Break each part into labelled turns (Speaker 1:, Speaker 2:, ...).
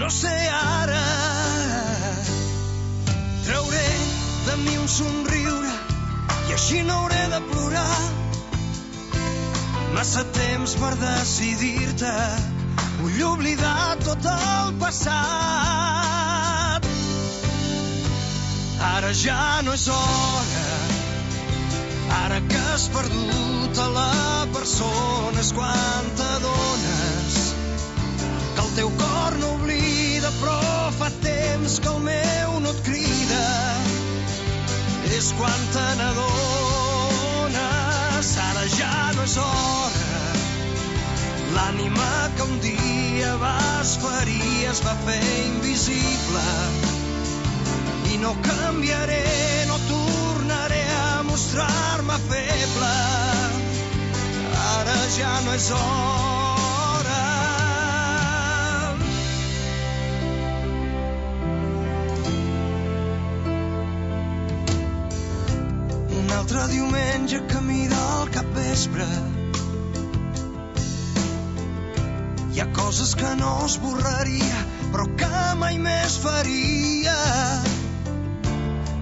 Speaker 1: no sé ara. Trauré de mi un somriure i així no hauré de plorar. Massa temps per decidir-te, vull oblidar tot el passat. Ara ja no és hora, ara que has perdut a la persona, és quan t'adones que el teu cor no oblida, però fa temps que el meu no et crida. És quan te n'adones, ara ja no és hora. L'ànima que un dia vas ferir es va fer invisible. I no canviaré, no tornaré a mostrar-me feble. Ara ja no és hora. Un altre diumenge camí del capvespre. Hi ha coses que no esborraria, però que mai més faria.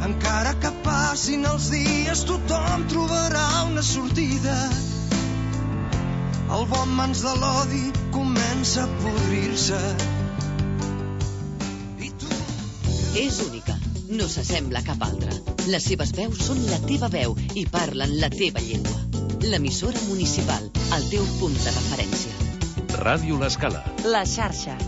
Speaker 1: Encara que passin els dies, tothom trobarà una sortida. El bon mans de l'odi comença a podrir-se. I tu...
Speaker 2: És única, no s'assembla a cap altra. Les seves veus són la teva veu i parlen la teva llengua. L'emissora municipal, el teu punt de referència.
Speaker 3: Ràdio L'Escala.
Speaker 4: La xarxa.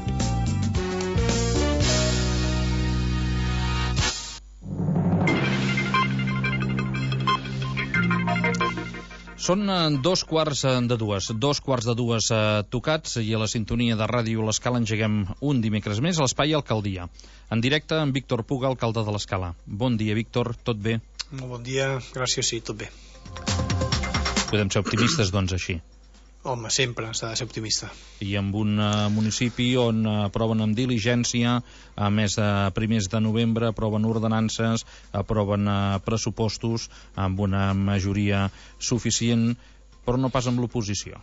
Speaker 5: Són 2:15 tocats i a la sintonia de Ràdio L'Escala engeguem un dimecres més a l'Espai Alcaldia. En directe amb Víctor Puga, alcalde de l'Escala. Bon dia, Víctor, tot bé?
Speaker 6: Molt bon dia, gràcies, sí, tot bé.
Speaker 5: Podem ser optimistes, doncs, així?
Speaker 6: Home, sempre s'ha de ser optimista.
Speaker 5: I amb un municipi on aproven amb diligència, a més de primers de novembre, aproven ordenances, aproven pressupostos amb una majoria suficient, però no pas amb l'oposició.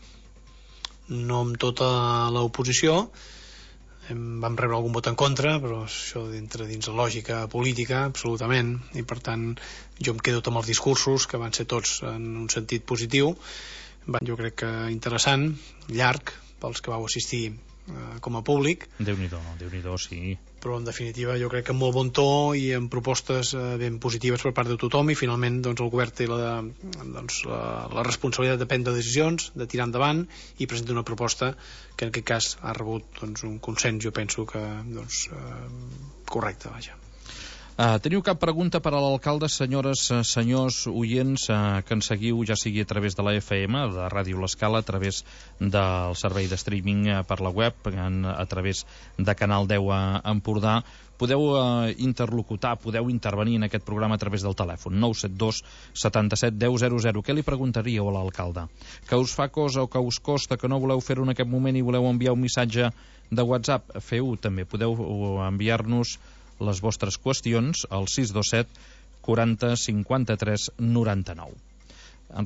Speaker 6: No amb tota l'oposició. Vam rebre algun vot en contra, però això entra dins la lògica política, absolutament, i per tant jo em quedo amb els discursos, que van ser tots en un sentit positiu. Jo crec que interessant, llarg, pels que vau assistir com a públic.
Speaker 5: Déu-n'hi-do, sí.
Speaker 6: Però en definitiva jo crec que amb molt bon to i amb propostes ben positives per part de tothom, i finalment doncs, el govern té la responsabilitat de prendre decisions, de tirar endavant, i presenta una proposta que en aquest cas ha rebut doncs, un consens, jo penso que correcte, vaja.
Speaker 5: Teniu cap pregunta per a l'alcalde, senyores, senyors, oients, que ens seguiu, ja sigui a través de la FM, de Ràdio L'Escala, a través del servei de streaming per la web, a través de Canal 10 a Empordà. Podeu interlocutar, podeu intervenir en aquest programa a través del telèfon 972 77 10 00. Què li preguntaríeu a l'alcalde? Que us fa cosa o que us costa, que no voleu fer-ho en aquest moment i voleu enviar un missatge de WhatsApp? Feu-ho també, podeu enviar-nos les vostres qüestions al 627 40 53 99.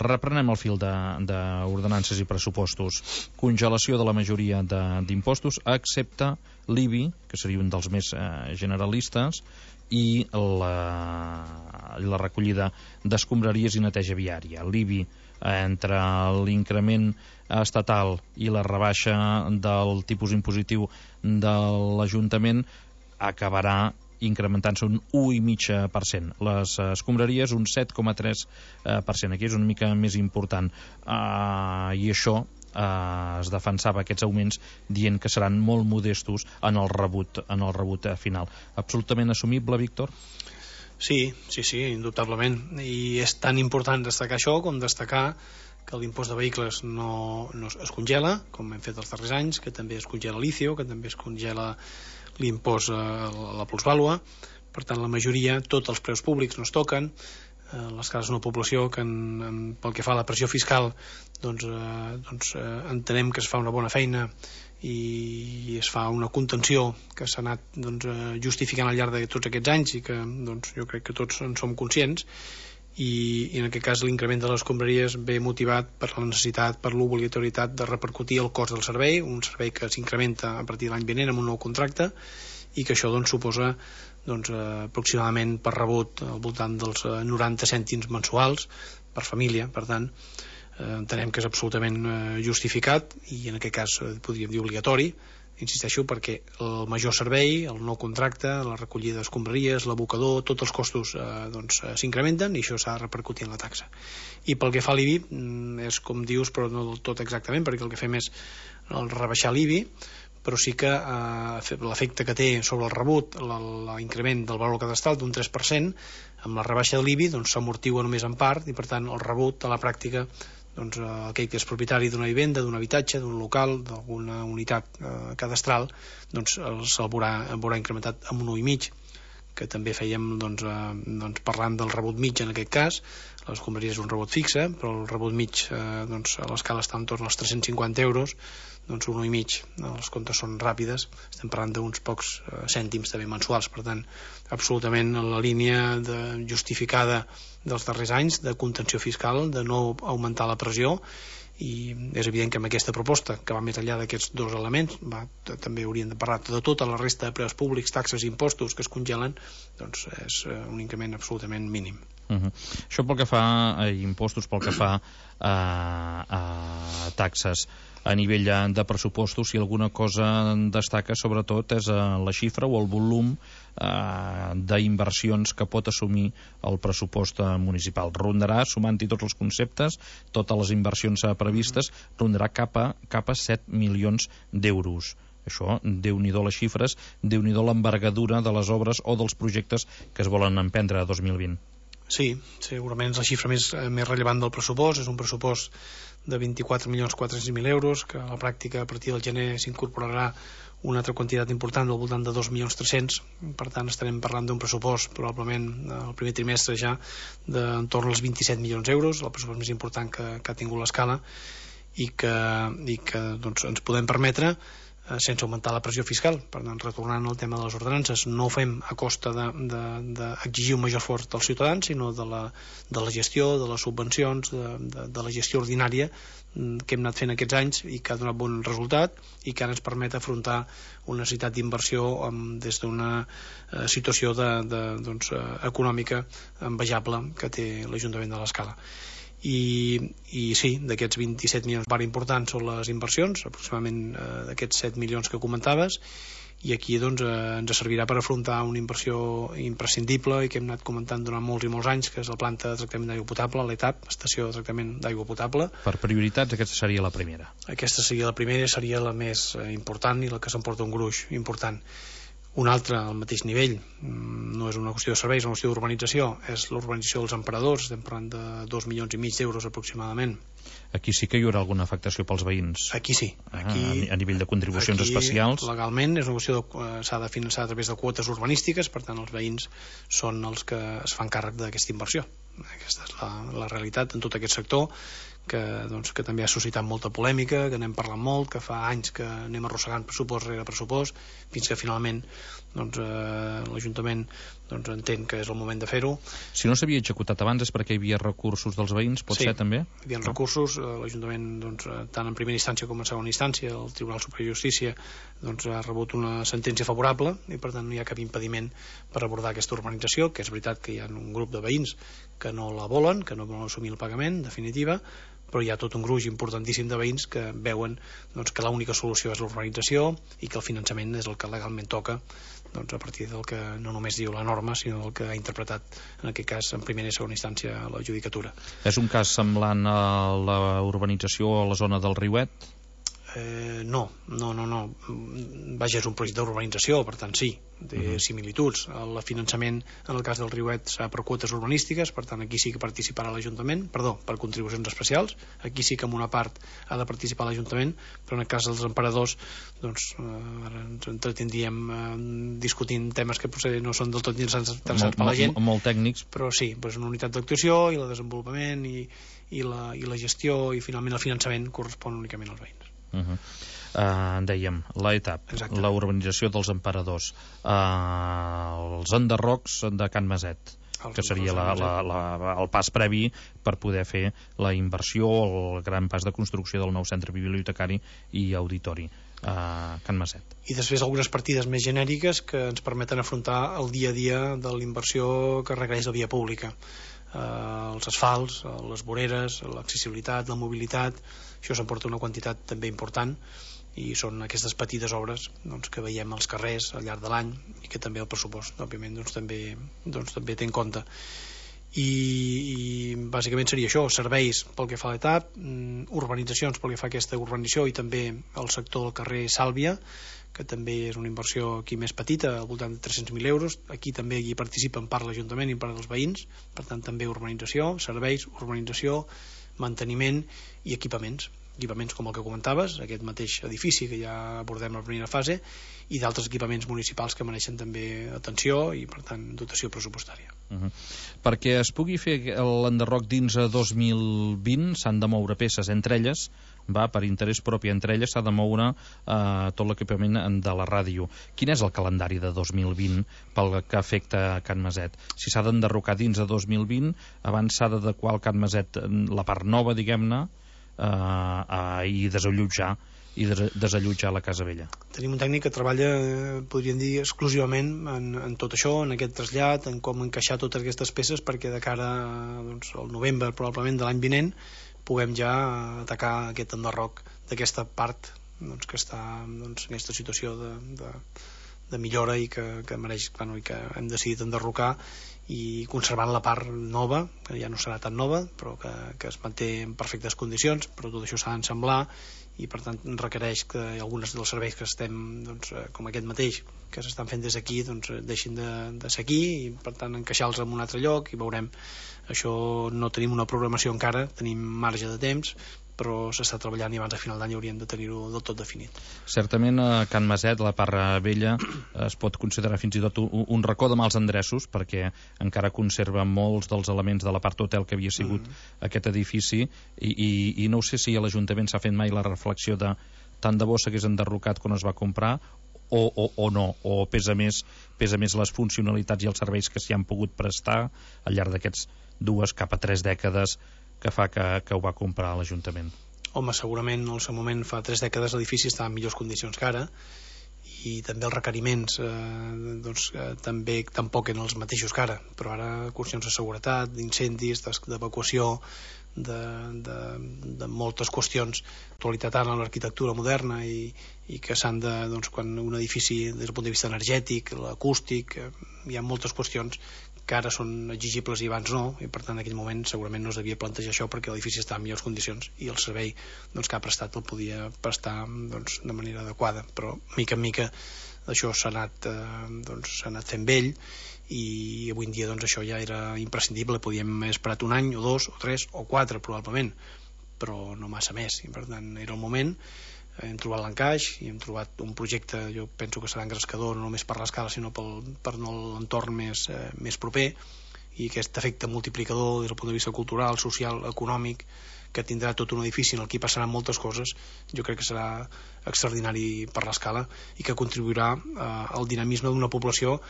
Speaker 5: Reprenem el fil d'ordenances i pressupostos. Congelació de la majoria d'impostos, excepte l'IBI, que seria un dels més generalistes, i la recollida d'escombraries i neteja viària. L'IBI, entre l'increment estatal i la rebaixa del tipus impositiu de l'Ajuntament, acabarà incrementant-se un 1,5%. Les escombraries un 7,3%. Aquí és una mica més important. I això es defensava aquests augments dient que seran molt modestos en el rebut final. Absolutament assumible, Víctor?
Speaker 6: Sí, indubtablement. I és tan important destacar això com destacar que l'impost de vehicles no es congela, com hem fet els darrers anys, que també es congela l'ICIO, que també es congela l'impost a la plusvàlua. Per tant, la majoria, tots els preus públics no es toquen. Les cases d'una població que pel que fa a la pressió fiscal entenem que es fa una bona feina i es fa una contenció que s'ha anat justificant al llarg de tots aquests anys i que jo crec que tots en som conscients, i en aquest cas l'increment de les escombraries ve motivat per la necessitat, per l'obligatorietat de repercutir el cost del servei, un servei que s'incrementa a partir de l'any vinent amb un nou contracte, i que això doncs, suposa aproximadament per rebut al voltant dels 90 cèntims mensuals per família. Per tant, entenem que és absolutament justificat, i en aquest cas podríem dir obligatori, insisteixo, perquè el major servei, el nou contracte, la recollida d'escombraries, l'abocador, tots els costos s'incrementen, i això s'ha de repercutir en la taxa. I pel que fa a l'IBI, és com dius, però no del tot exactament, perquè el que fem és rebaixar l'IBI, però sí que l'efecte que té sobre el rebut, l'increment del valor cadastral d'un 3%, amb la rebaixa de l'IBI s'amortigua només en part, i per tant el rebut a la pràctica, aquell que és propietari d'una vivenda, d'un habitatge, d'un local, d'alguna unitat cadastral, se'l veurà incrementat amb un 1,5, que també fèiem parlant del rebut mig en aquest cas. Les escombraries és un rebut fixe, però el rebut mig a l'escala està entorn als 350 euros, un 1,5, els comptes són ràpides, estem parlant d'uns pocs cèntims també mensuals. Per tant, absolutament en la línia justificada dels darrers anys de contenció fiscal, de no augmentar la pressió, i és evident que amb aquesta proposta, que va més enllà d'aquests dos elements, també hauríem de parlar de tota la resta de preus públics, taxes i impostos que es congelen, és un increment absolutament mínim.
Speaker 5: Això pel que fa a impostos, pel que fa a taxes. A nivell de pressupostos, si alguna cosa destaca sobretot és la xifra o el volum d'inversions que pot assumir el pressupost municipal. Rondarà, sumant-hi tots els conceptes, totes les inversions previstes, rondarà cap a 7 milions d'euros. Això, déu-n'hi-do les xifres, déu-n'hi-do l'envergadura de les obres o dels projectes que es volen emprendre a 2020.
Speaker 6: Sí, segurament és la xifra més rellevant del pressupost. És un pressupost de 24.400.000 euros, que a la pràctica a partir del gener s'incorporarà una altra quantitat important del voltant de 2.300.000. Per tant, estarem parlant d'un pressupost probablement el primer trimestre ja d'entorn als 27 milions d'euros, el pressupost més important que ha tingut l'escala, i que ens podem permetre sense augmentar la pressió fiscal. Per tant, retornant al tema de les ordenances, no ho fem a costa d'exigir un major esforç dels ciutadans, sinó de la gestió, de les subvencions, de la gestió ordinària que hem anat fent aquests anys i que ha donat bon resultat, i que ara ens permet afrontar una necessitat d'inversió des d'una situació econòmica envejable que té l'Ajuntament de l'Escala. I sí, d'aquests 27 milions, part important són les inversions, aproximadament d'aquests 7 milions que comentaves, i aquí ens servirà per afrontar una inversió imprescindible i que hem anat comentant durant molts i molts anys, que és la planta de tractament d'aigua potable, l'ETAP, estació de tractament d'aigua potable.
Speaker 5: Per prioritats, aquesta seria la primera.
Speaker 6: Aquesta seria la primera, seria la més important i la que s'emporta un gruix important. Una altra al mateix nivell, no és una qüestió de serveis, és una qüestió d'urbanització, és l'urbanització dels emperadors. Estem parlant de 2,5 milions d'euros aproximadament.
Speaker 5: Aquí sí que hi haurà alguna afectació pels veïns.
Speaker 6: Aquí sí.
Speaker 5: A nivell de contribucions especials.
Speaker 6: Legalment és una qüestió s'ha de finançar a través de quotes urbanístiques, per tant els veïns són els que es fan càrrec d'aquesta inversió. Aquesta és la realitat en tot aquest sector, que també ha suscitat molta polèmica, que n'hem parlat molt, que fa anys que anem arrossegant pressupost rere pressupost, fins que finalment l'Ajuntament entén que és el moment de fer-ho.
Speaker 5: Si no s'havia executat abans és perquè hi havia recursos dels veïns, pot ser també?
Speaker 6: Sí, hi havia recursos. L'Ajuntament, tant en primera instància com en segona instància, el Tribunal Superior de Justícia ha rebut una sentència favorable, i per tant no hi ha cap impediment per abordar aquesta urbanització, que és veritat que hi ha un grup de veïns que no la volen, que no volen assumir el pagament, en definitiva, però hi ha tot un gruix importantíssim de veïns que veuen que l'única solució és l'urbanització i que el finançament és el que legalment toca, a partir del que no només diu la norma, sinó del que ha interpretat, en aquest cas, en primera i segona instància, la judicatura.
Speaker 5: És un cas semblant a la urbanització a la zona del Riuet?
Speaker 6: No. Vaja, és un projecte d'urbanització, per tant sí, té similituds. El finançament en el cas del Riuet serà per quotes urbanístiques, per tant aquí sí que participarà l'Ajuntament, per contribucions especials, aquí sí que en una part ha de participar l'Ajuntament, però en el cas dels emperadors ara ens entretindríem discutint temes que potser no són del tot interessants per la gent,
Speaker 5: molt tècnics,
Speaker 6: però sí, una unitat d'actuació i el desenvolupament i la gestió i finalment el finançament correspon únicament als veïns.
Speaker 5: Dèiem, l'ETAP, la urbanització dels emperadors, els enderrocs de Can Maset. que seria el pas previ per poder fer la inversió, el gran pas de construcció del nou centre bibliotecari i auditori a Can Maset.
Speaker 6: I després algunes partides més genèriques que ens permeten afrontar el dia a dia de la inversió que requereix la via pública, els asfalts, les voreres, l'accessibilitat, la mobilitat. Això s'emporta una quantitat també important i són aquestes petites obres que veiem als carrers al llarg de l'any i que també el pressupost òbviament també té en compte. I bàsicament seria això, serveis pel que fa a l'etap, urbanitzacions pel que fa a aquesta urbanització i també el sector del carrer Sàlvia, que també és una inversió aquí més petita, al voltant de 300.000 euros. Aquí també hi participa en part l'Ajuntament i en part dels veïns, per tant també urbanització, serveis, urbanització, manteniment i equipaments com el que comentaves, aquest mateix edifici que ja abordem a la primera fase, i d'altres equipaments municipals que mereixen també atenció i per tant dotació pressupostària.
Speaker 5: Perquè es pugui fer l'enderroc dins a 2020 s'han de moure peces, entre elles per interès propi, entre elles s'ha de moure tot l'equipament de la ràdio. Quin és el calendari de 2020 pel que afecta Can Maset? Si s'ha d'enderrocar dins de 2020, abans s'ha d'adequar al Can Maset la part nova, diguem-ne, i desallotjar la Casa Vella.
Speaker 6: Tenim un tècnic que treballa, podríem dir, exclusivament en tot això, en aquest trasllat, en com encaixar totes aquestes peces perquè de cara al novembre probablement de l'any vinent puguem ja atacar aquest enderroc d'aquesta part que està en aquesta situació de millora i que mereix, i que hem decidit enderrocar i conservant la part nova, que ja no serà tan nova, però que es manté en perfectes condicions, però tot això s'ha d'ensamblar i per tant requereix que alguns dels serveis que estem, com aquest mateix, que s'estan fent des d'aquí, deixin de ser aquí i per tant encaixar-los en un altre lloc i veurem. Això no tenim una programació encara, tenim marge de temps, però s'està treballant i abans de final d'any hauríem de tenir-ho del tot definit.
Speaker 5: Certament a Can Maset, la part vella, es pot considerar fins i tot un racó de mals endreços perquè encara conserva molts dels elements de la part hotel que havia sigut aquest edifici i no sé si a l'Ajuntament s'ha fet mai la reflexió de tant de bo s'hagués enderrocat quan es va comprar o no, o pesa més les funcionalitats i els serveis que s'hi han pogut prestar al llarg d'aquests 2 cap a 3 dècades que fa que ho va comprar l'Ajuntament.
Speaker 6: Home, segurament en el seu moment fa 3 dècades l'edifici estava en millors condicions que ara i també els requeriments també tampoc eren els mateixos que ara, però ara qüestions de seguretat, d'incendis, d'evacuació, de moltes qüestions d'actualitat en l'arquitectura moderna i que s'han de, quan un edifici des del punt de vista energètic, l'acústic, hi ha moltes qüestions que ara són exigibles i abans no, i per tant en aquell moment segurament no es devia plantejar això perquè l'edifici estava en millors condicions i el servei que ha prestat el podia prestar de manera adequada, però mica en mica això s'ha anat fent vell i avui en dia això ja era imprescindible, podíem haver esperat un any o 2 o 3 o 4 probablement, però no massa més i per tant era el moment. Hem trobat l'encaix i hem trobat un projecte, jo penso que serà engrescador no només per l'escala sinó per l'entorn més proper i aquest efecte multiplicador des del punt de vista cultural, social, econòmic que tindrà tot un edifici en el que passaran moltes coses, jo crec que serà extraordinari per l'escala i que contribuirà al dinamisme d'una població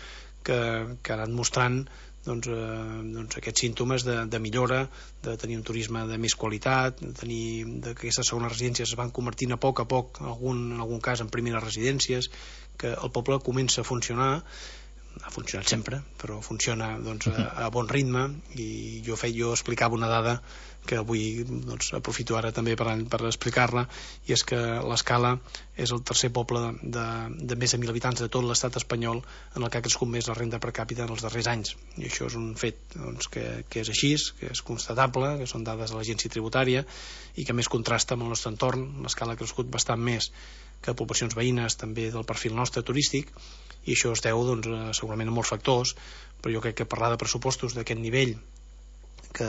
Speaker 6: que ha anat mostrant aquests símptomes de millora, de tenir un turisme de més qualitat, de que aquestes segones residències es van convertint a poc, en algun cas en primeres residències, que el poble comença a funcionar, ha funcionat sempre, però funciona a bon ritme i jo explicava una dada que avui aprofito ara també per explicar-la i és que l'Escala és el tercer poble de més de 1.000 habitants de tot l'estat espanyol en el que ha crescut més la renda per càpita en els darrers anys i això és un fet que és així, que és constatable, que són dades de l'agència tributària i que més contrasta amb el nostre entorn. L'Escala ha crescut bastant més que poblacions veïnes també del perfil nostre turístic i això es deu segurament a molts factors, però jo crec que parlar de pressupostos d'aquest nivell que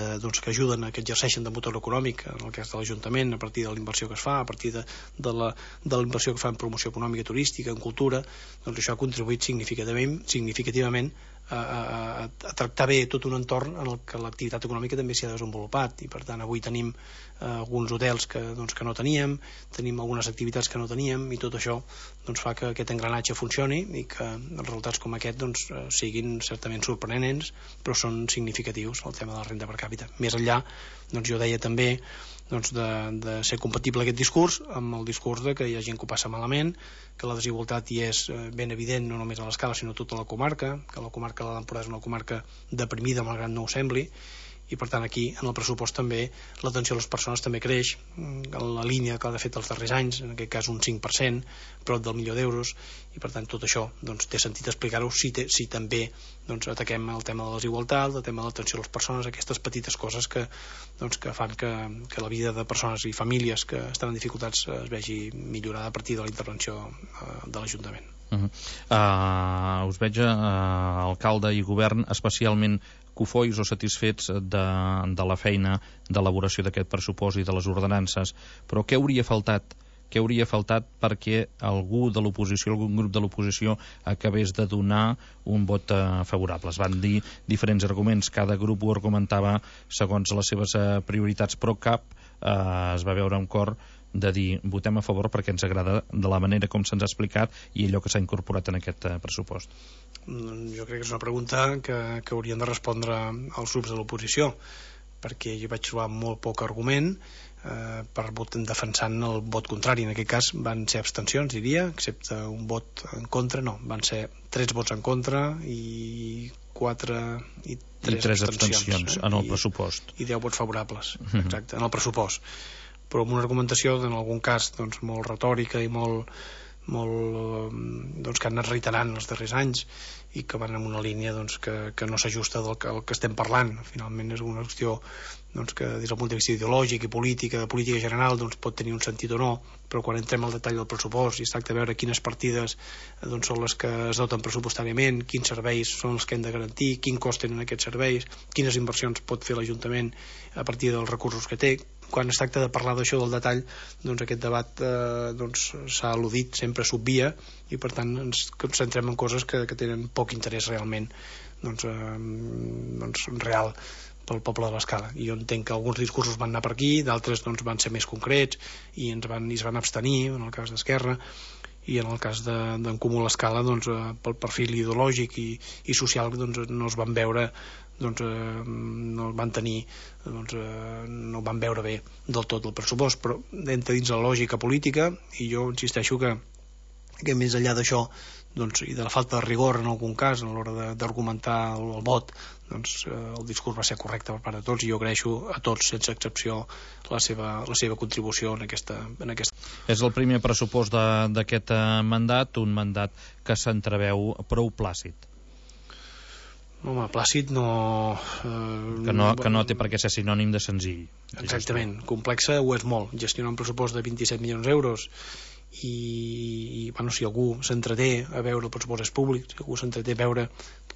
Speaker 6: ajuden a que exerceixen de motor econòmic en el cas de l'Ajuntament a partir de la inversió que es fa, a partir de la inversió que fa en promoció econòmica turística, en cultura, això ha contribuït significativament a tractar bé tot un entorn en el que l'activitat econòmica també s'hi ha desenvolupat, i per tant avui tenim alguns hotels que no teníem, tenim algunes activitats que no teníem, i tot això fa que aquest engranatge funcioni i que els resultats com aquest siguin certament sorprenents, però són significatius el tema de la renda per càpita. Més enllà, jo deia també de ser compatible aquest discurs amb el discurs de que hi ha gent que ho passa malament, que la desigualtat hi és ben evident no només a l'Escala sinó a tota la comarca, que la comarca de l'Empordà és una comarca deprimida malgrat no ho sembli, i per tant aquí en el pressupost també l'atenció a les persones també creix en la línia que ha fet els darrers anys, en aquest cas un 5%, prop del milió d'euros, i per tant tot això té sentit explicar-ho si també ataquem el tema de la desigualtat, el tema de l'atenció a les persones, aquestes petites coses que fan que la vida de persones i famílies que estan en dificultats es vegi millorada a partir de la intervenció de l'Ajuntament.
Speaker 5: Us veig, alcalde i govern, especialment cofois o satisfets de la feina d'elaboració d'aquest pressupost i de les ordenances, però què hauria faltat? Què hauria faltat perquè algú de l'oposició, algun grup de l'oposició acabés de donar un vot favorable? Es van dir diferents arguments, cada grup ho argumentava segons les seves prioritats, però cap es va veure amb cor de dir votem a favor perquè ens agrada de la manera com se'ns ha explicat i allò que s'ha incorporat en aquest pressupost.
Speaker 6: Jo crec que és una pregunta que haurien de respondre els grups de l'oposició, perquè jo vaig trobar molt poc argument defensant el vot contrari. En aquest cas van ser abstencions, diria, excepte un vot en contra, no, van ser 3 vots en contra i 3
Speaker 5: abstencions en el pressupost
Speaker 6: i 10 vots favorables, exacte, en el pressupost, però amb una argumentació en algun cas molt retòrica i molt que han anat reiterant els darrers anys i que van en una línia que no s'ajusta del que estem parlant. Finalment és una qüestió que des del punt de vista ideològic i política, de política general, pot tenir un sentit o no, però quan entrem al detall del pressupost i es tracta de veure quines partides són les que es doten pressupostàriament, quins serveis són els que hem de garantir, quin cost tenen aquests serveis, quines inversions pot fer l'Ajuntament a partir dels recursos que té, quan es tracta de parlar d'això del detall, aquest debat s'ha al·ludit, sempre s'obvia, i per tant ens concentrem en coses que tenen poc interès realment real pel poble de l'Escala. I jo entenc que alguns discursos van anar per aquí, d'altres van ser més concrets i es van abstenir, en el cas d'Esquerra, i en el cas d'en Comú l'Escala pel perfil ideològic i social no es van veure no van tenir no van veure bé del tot el pressupost, però entra dins la lògica política, i jo insisteixo que més enllà d'això i de la falta de rigor en algun cas a l'hora d'argumentar el vot, el discurs va ser correcte per part de tots, i jo agraeixo a tots sense excepció la seva contribució en aquesta.
Speaker 5: És el primer pressupost d'aquest mandat, un mandat que s'entreveu prou plàcid.
Speaker 6: Home, plàcid no...
Speaker 5: Que no té per què ser sinònim de senzill.
Speaker 6: Exactament, complexa ho és molt. Gestionar un pressupost de 27 milions d'euros i si algú s'entreté a veure el pressupost públic, si algú s'entreté a veure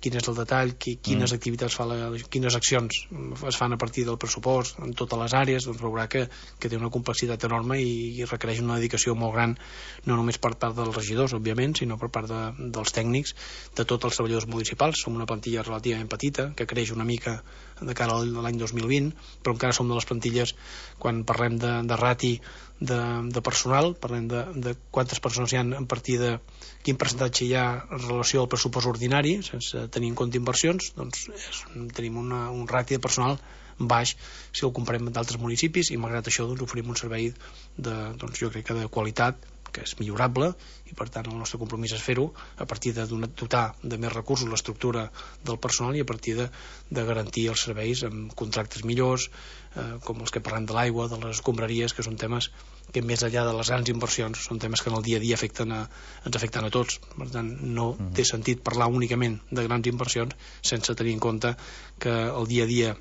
Speaker 6: quin és el detall, quines activitats quines accions es fan a partir del pressupost en totes les àrees, veurà que té una complexitat enorme i requereix una dedicació molt gran, no només per part dels regidors, òbviament, sinó per part dels tècnics, de tots els treballadors municipals. Som una plantilla relativament petita, que creix una mica de cara a l'any 2020, però encara som de les plantilles, quan parlem de rati de personal, parlem de quantes persones hi ha a partir de quin percentatge hi ha en relació al pressupost ordinari, sense tenir en compte inversions, tenim un rati de personal baix si el comparem amb d'altres municipis, i malgrat això oferim un servei jo crec que de qualitat, que és millorable, i per tant el nostre compromís és fer-ho a partir de dotar de més recursos l'estructura del personal i a partir de garantir els serveis amb contractes millors, com els que parlem de l'aigua, de les escombraries, que són temes que més enllà de les grans inversions són temes que en el dia a dia ens afecten a tots. Per tant, no té sentit parlar únicament de grans inversions sense tenir en compte que el dia a dia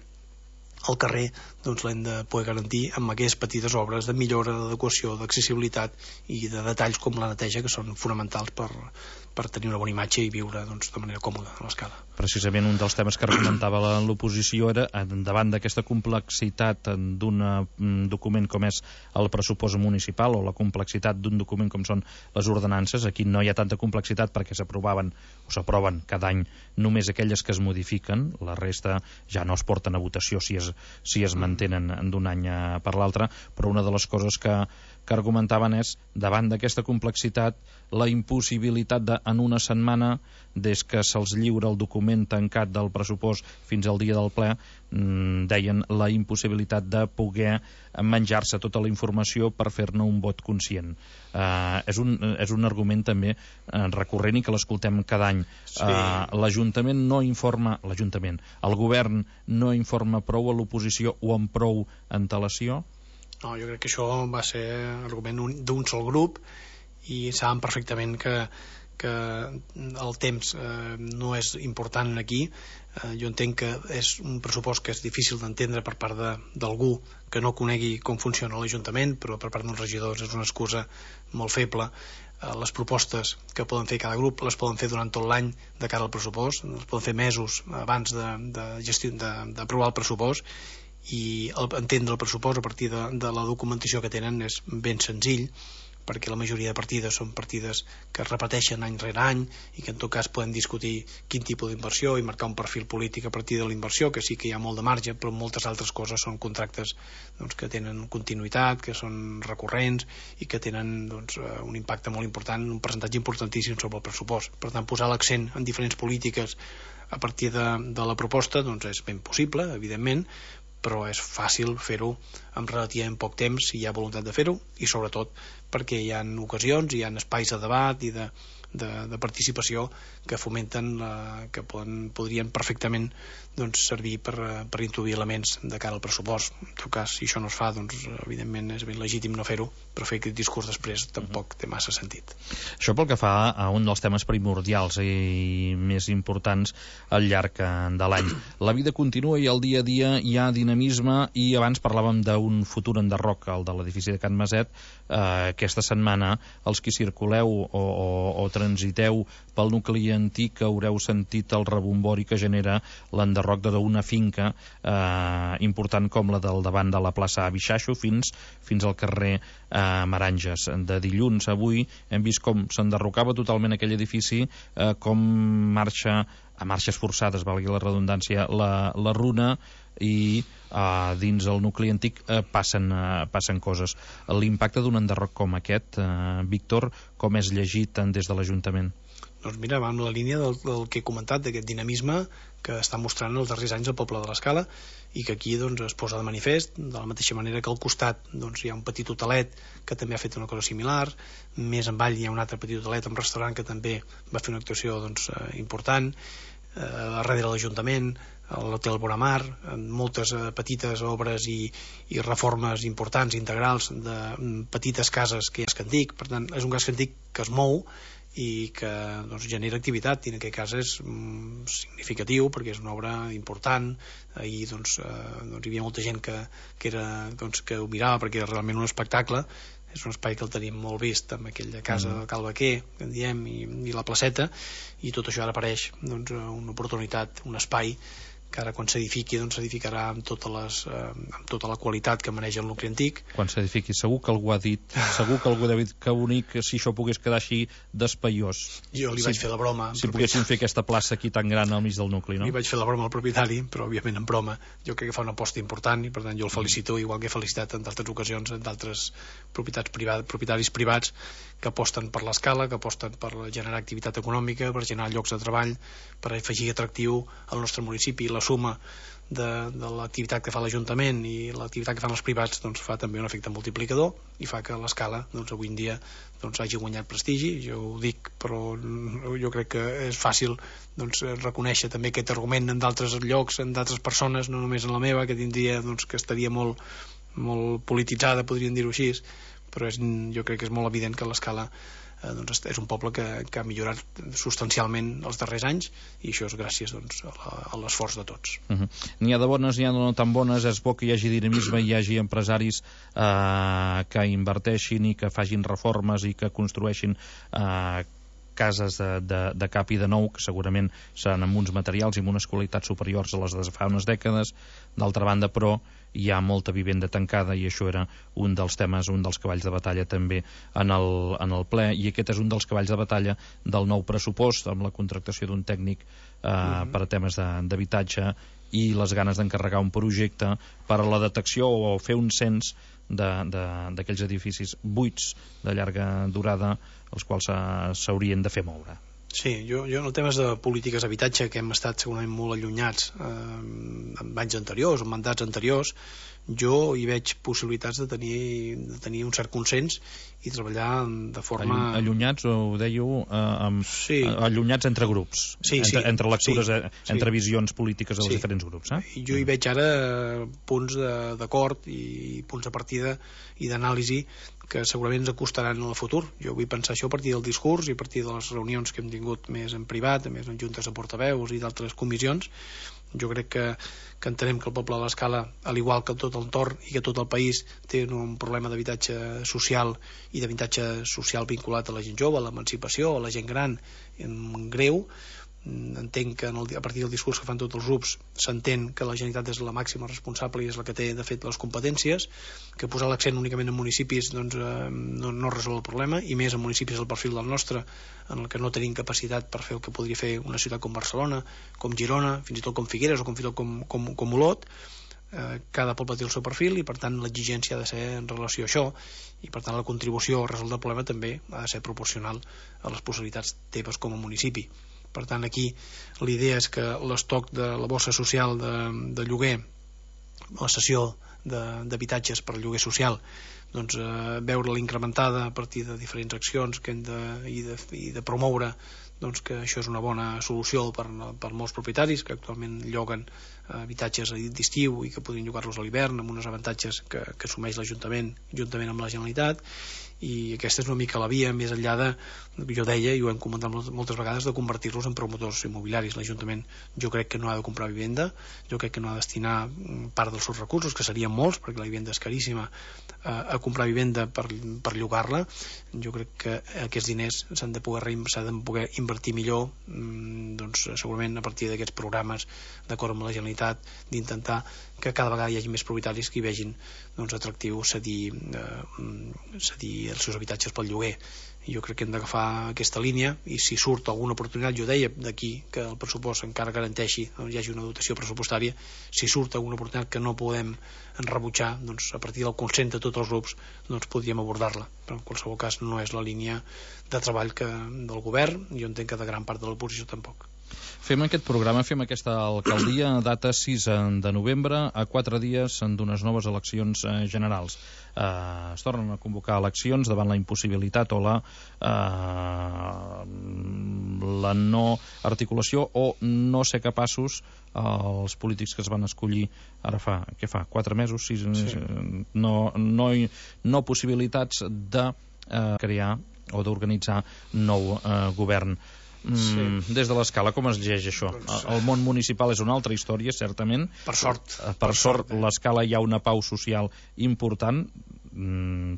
Speaker 6: al carrer doncs l'hem de poder garantir amb aquestes petites obres de millora, d'adequació, d'accessibilitat i de detalls com la neteja, que són fonamentals per tenir una bona imatge i viure doncs, de manera còmoda a l'escala.
Speaker 5: Precisament un dels temes que argumentava l'oposició era, davant d'aquesta complexitat d'un document com és el pressupost municipal, o la complexitat d'un document com són les ordenances, aquí no hi ha tanta complexitat perquè s'aproven cada any només aquelles que es modifiquen, la resta ja no es porten a votació si es mantenen d'un any per l'altre, però una de les coses que argumentaven és, davant d'aquesta complexitat, la impossibilitat de, en una setmana, des que se'ls lliura el document tancat del pressupost fins al dia del ple, deien la impossibilitat de poder menjar-se tota la informació per fer-ne un vot conscient. És un argument també recurrent i que l'escoltem cada any. Sí. L'Ajuntament no informa, el govern no informa prou a l'oposició o amb prou antelació?
Speaker 6: No, jo crec que això va ser argument d'un sol grup i saben perfectament que el temps no és important aquí. Jo entenc que és un pressupost que és difícil d'entendre per part d'algú que no conegui com funciona l'Ajuntament, però per part dels regidors és una excusa molt feble. Les propostes que poden fer cada grup les poden fer durant tot l'any de cara al pressupost, les poden fer mesos abans d'aprovar el pressupost, i entendre el pressupost a partir de la documentació que tenen és ben senzill, perquè la majoria de partides són partides que es repeteixen any rere any i que en tot cas podem discutir quin tipus d'inversió i marcar un perfil polític a partir de la inversió, que sí que hi ha molt de marge, però moltes altres coses són contractes doncs, que tenen continuïtat, que són recurrents i que tenen doncs, un impacte molt important, un percentatge importantíssim sobre el pressupost. Per tant, posar l'accent en diferents polítiques a partir de la proposta doncs, és ben possible, evidentment, però és fàcil fer-ho en relativament poc temps si hi ha voluntat de fer-ho, i sobretot perquè hi ha ocasions, hi ha espais de debat i de participació que fomenten, que podrien perfectament doncs, servir per introduir elements de cara al pressupost. En tot cas, si això no es fa, doncs, evidentment és ben legítim no fer-ho, però fer aquest discurs després tampoc té massa sentit.
Speaker 5: Això pel que fa a un dels temes primordials i més importants al llarg de l'any. La vida continua i al dia a dia hi ha dinamisme, i abans parlàvem d'un futur enderroc, el de l'edifici de Can Maset. Aquesta setmana els que circuleu o transiteu pel nucli antic haureu sentit el rebombori que genera l'enderroc d'una finca important com la del davant de la plaça Abixaixo fins al carrer Maranges. De dilluns a avui hem vist com s'enderrocava totalment aquell edifici, com marxa a marxes forçades, valgui la redundància, la runa, i dins el nucli antic passen coses. L'impacte d'un enderroc com aquest, Víctor, com és llegit des de l'Ajuntament?
Speaker 6: Doncs mira, va amb la línia del que he comentat, d'aquest dinamisme que està mostrant els darrers anys el poble de l'Escala, i que aquí doncs, es posa de manifest, de la mateixa manera que al costat doncs, hi ha un petit hotelet que també ha fet una cosa similar, més avall hi ha un altre petit hotelet, un restaurant que també va fer una actuació doncs, important, darrere l'Ajuntament, l'Hotel Boramar, moltes petites obres i reformes importants, integrals, de petites cases que hi ha a Escantic. Per tant, és un casc antic que es mou i que doncs, genera activitat, i en aquest cas és significatiu perquè és una obra important. Ahir doncs, hi havia molta gent que ho mirava perquè era realment un espectacle. És un espai que el tenim molt vist amb aquella casa de Cal Baquer, que en diem, i la placeta, i tot això ara apareix doncs, una oportunitat, un espai que ara quan s'edifiqui doncs s'edificarà amb tota la qualitat que maneja el nucli antic.
Speaker 5: Quan s'edifiqui, segur que algú ha dit, segur que algú ha dit que bonic si això pogués quedar així d'espaiós.
Speaker 6: Jo li vaig fer la broma.
Speaker 5: Si poguéssim fer aquesta plaça aquí tan gran al mig del nucli, no?
Speaker 6: Li vaig fer la broma al propietari, però òbviament en broma. Jo crec que fa una aposta important i per tant jo el felicito, igual que he felicitat en d'altres ocasions en d'altres propietaris privats que aposten per l'Escala, que aposten per generar activitat econòmica, per generar llocs de treball, per afegir atractiu al nostre municipi. La suma de l'activitat que fa l'Ajuntament i l'activitat que fan els privats doncs, fa també un efecte multiplicador i fa que l'Escala doncs, avui en dia doncs, hagi guanyat prestigi. Jo ho dic, però jo crec que és fàcil doncs, reconèixer també aquest argument en d'altres llocs, en d'altres persones, no només en la meva, que tindria doncs, que estaria molt polititzada, podríem dir-ho així, però jo crec que és molt evident que l'Escala és un poble que ha millorat substancialment els darrers anys, i això és gràcies a l'esforç de tots.
Speaker 5: N'hi ha de bones, n'hi ha de no tan bones. És bo que hi hagi dinamisme, hi hagi empresaris que inverteixin i que facin reformes i que construeixin cases de cap i de nou, que segurament seran amb uns materials i amb unes qualitats superiors a les de fa unes dècades. D'altra banda, però, hi ha molta vivenda tancada, i això era un dels temes, un dels cavalls de batalla també en el ple, i aquest és un dels cavalls de batalla del nou pressupost, amb la contractació d'un tècnic per a temes d'habitatge i les ganes d'encarregar un projecte per a la detecció o fer un cens d'aquells edificis buits de llarga durada, els quals s'haurien de fer moure.
Speaker 6: Sí, jo en el temes de polítiques d'habitatge, que hem estat segurament molt allunyats en anys anteriors, en mandats anteriors, jo hi veig possibilitats de tenir un cert consens i treballar de forma...
Speaker 5: Allunyats, ho dèieu, allunyats entre grups, entre lectures, entre visions polítiques dels diferents grups.
Speaker 6: Jo hi veig ara punts d'acord i punts de partida i d'anàlisi que segurament ens acostaran en el futur. Jo vull pensar això a partir del discurs i a partir de les reunions que hem tingut més en privat, més en juntes de portaveus i d'altres comissions. Jo crec que entenem que el poble de l'Escala, al igual que tot l'entorn i que tot el país, té un problema d'habitatge social i d'habitatge social vinculat a la gent jove, a l'emancipació, a la gent gran, greu. Entenc que a partir del discurs que fan tots els grups s'entén que la Generalitat és la màxima responsable i és la que té de fet les competències, que posar l'accent únicament en municipis no resol el problema, i més en municipis del perfil del nostre, en el que no tenim capacitat per fer el que podria fer una ciutat com Barcelona, com Girona, fins i tot com Figueres o fins i tot com Olot. Cada poble té el seu perfil i per tant l'exigència ha de ser en relació a això, i per tant la contribució a resoldre el problema també ha de ser proporcional a les possibilitats teves com a municipi. Per tant, aquí l'idea és que l'estoc de la bossa social de lloguer, la cessió d'habitatges per lloguer social, veure-la incrementada a partir de diferents accions que hem de promoure, que això és una bona solució per molts propietaris que actualment lloguen habitatges d'estiu i que podrien llogar-los a l'hivern amb uns avantatges que assumeix l'Ajuntament juntament amb la Generalitat. I aquesta és una mica la via, més enllà de, jo deia, i ho hem comentat moltes vegades, de convertir-los en promotors immobiliaris. L'Ajuntament jo crec que no ha de comprar vivenda, jo crec que no ha de destinar part dels seus recursos, que serien molts, perquè la vivenda és caríssima, a comprar vivenda per llogar-la. Jo crec que aquests diners s'han de poder invertir millor, segurament a partir d'aquests programes d'acord amb la Generalitat, d'intentar que cada vegada hi hagi més propietaris que hi vegin atractiu cedir els seus habitatges pel lloguer. Jo crec que hem d'agafar aquesta línia, i si surt alguna oportunitat, jo deia d'aquí que el pressupost encara garanteixi, hi hagi una dotació pressupostària, si surt alguna oportunitat que no podem rebutjar, a partir del consens de tots els grups podríem abordar-la, però en qualsevol cas no és la línia de treball del govern, jo entenc que de gran part de l'oposició tampoc.
Speaker 5: Fem aquest programa, fem aquesta alcaldia, data 6 de novembre, a 4 dies d'unes noves eleccions generals. Es tornen a convocar eleccions davant la impossibilitat o la no articulació o no ser capaços, els polítics que es van escollir ara fa 4 mesos, 6, sí. No possibilitats de crear o d'organitzar nou govern. Des de l'Escala, com es llegeix això? El món municipal és una altra història, certament.
Speaker 6: Per sort.
Speaker 5: Per sort, l'Escala hi ha una pau social important,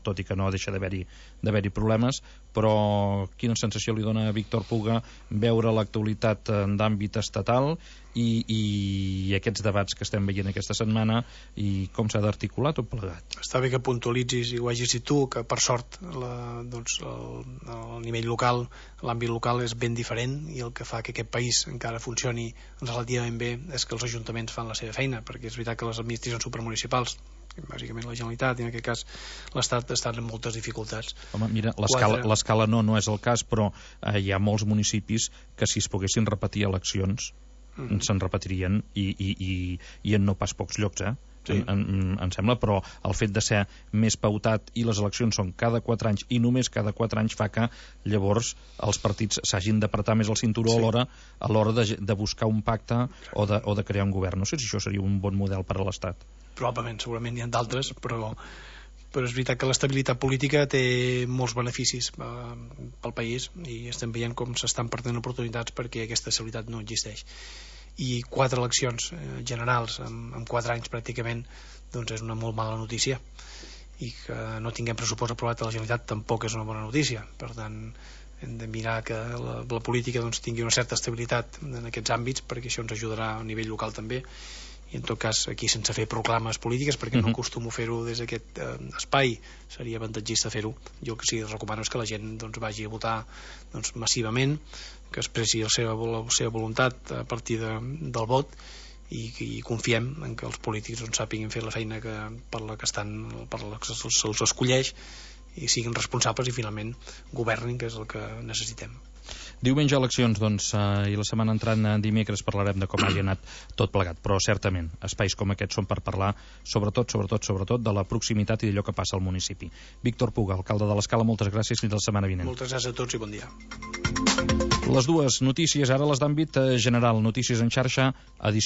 Speaker 5: tot i que no deixa d'haver-hi problemes, però quina sensació li dona a Víctor Puga veure l'actualitat d'àmbit estatal i aquests debats que estem veient aquesta setmana i com s'ha d'articular tot plegat?
Speaker 6: Està bé que puntualitzis i ho hagis dit tu, que per sort el nivell local, l'àmbit local és ben diferent, i el que fa que aquest país encara funcioni relativament bé és que els ajuntaments fan la seva feina, perquè és veritat que les administracions supermunicipals, bàsicament la Generalitat i en aquest cas l'Estat, estan en moltes dificultats.
Speaker 5: Home, mira, l'Escala no és el cas, però hi ha molts municipis que si es poguessin repetir eleccions se'n repetirien i en no pas pocs llocs, sí. Em sembla, però el fet de ser més pautat i les eleccions són cada 4 anys i només cada 4 anys fa que llavors els partits s'hagin d'apretar més el cinturó, sí. a l'hora de buscar un pacte o de crear un govern. No sé si això seria un bon model per a l'Estat.
Speaker 6: Probablement, segurament n'hi ha d'altres, però però és veritat que l'estabilitat política té molts beneficis pel país i estem veient com s'estan perdent oportunitats perquè aquesta estabilitat no existeix. I 4 eleccions generals en 4 anys pràcticament doncs és una molt mala notícia, i que no tinguem pressupost aprovat a la Generalitat tampoc és una bona notícia. Per tant, hem de mirar que la política doncs, tingui una certa estabilitat en aquests àmbits, perquè això ens ajudarà a nivell local també, i en tot cas aquí sense fer proclames polítiques, perquè no acostumo a fer-ho des d'aquest espai, seria avantatgista fer-ho. Jo el que sí que recomano és que la gent doncs, vagi a votar doncs, massivament, que expressi la seva voluntat a partir del vot, i confiem en que els polítics doncs, sàpiguin fer la feina per la que se'ls escolleix, i siguin responsables i finalment governin, que és el que necessitem.
Speaker 5: Diumenge eleccions, doncs, i la setmana entrant dimecres parlarem de com hagi anat tot plegat, però certament espais com aquests són per parlar sobretot de la proximitat i d'allò que passa al municipi. Víctor Puga, alcalde de l'Escala, moltes gràcies, fins la setmana vinent.
Speaker 6: Moltes gràcies a tots i bon dia.
Speaker 5: Les dues notícies, ara les d'àmbit general, notícies en xarxa, edició